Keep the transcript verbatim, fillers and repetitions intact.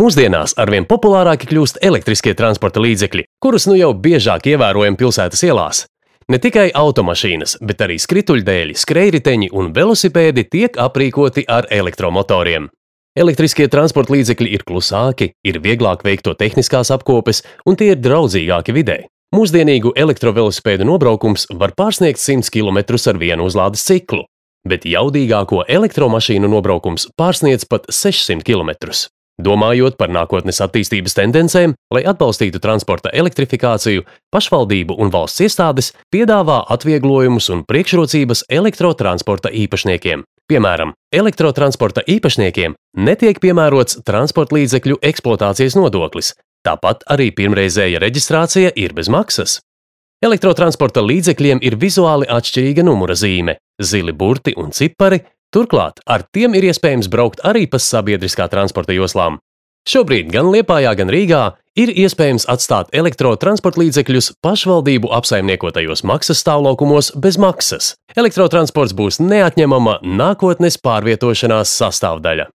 Mūsdienās arvien populārāki kļūst elektriskie transporta līdzekļi, kurus nu jau biežāk ievērojam pilsētas ielās. Ne tikai automašīnas, bet arī skrituļdēļi, skrejriteņi un velosipēdi tiek aprīkoti ar elektromotoriem. Elektriskie transporta līdzekļi ir klusāki, ir vieglāk veikt to tehniskās apkopes un tie ir draudzīgāki videi. Mūsdienīgu elektrovelosipēdu nobraukums var pārsniegt simts kilometrus ar vienu uzlādes ciklu, bet jaudīgāko elektromašīnu nobraukums pārsniedz pat sešsimt kilometrus. Domājot par nākotnes attīstības tendencēm, lai atbalstītu transporta elektrifikāciju, pašvaldību un valsts iestādes piedāvā atvieglojumus un priekšrocības elektrotransporta īpašniekiem. Piemēram, elektrotransporta īpašniekiem netiek piemērots transporta līdzekļu eksploatācijas nodoklis, tāpat arī pirmreizēja reģistrācija ir bez maksas. Elektrotransporta līdzekļiem ir vizuāli atšķirīga numura zīme, zili burti un cipari, turklāt ar tiem ir iespējams braukt arī pa sabiedriskā transporta joslām. Šobrīd gan Liepājā, gan Rīgā ir iespējams atstāt elektrotransporta līdzekļus pašvaldību apsaimniekotajos maksas stāvlaukumos bez maksas. Elektrotransports būs neatņemama nākotnes pārvietošanās sastāvdaļa.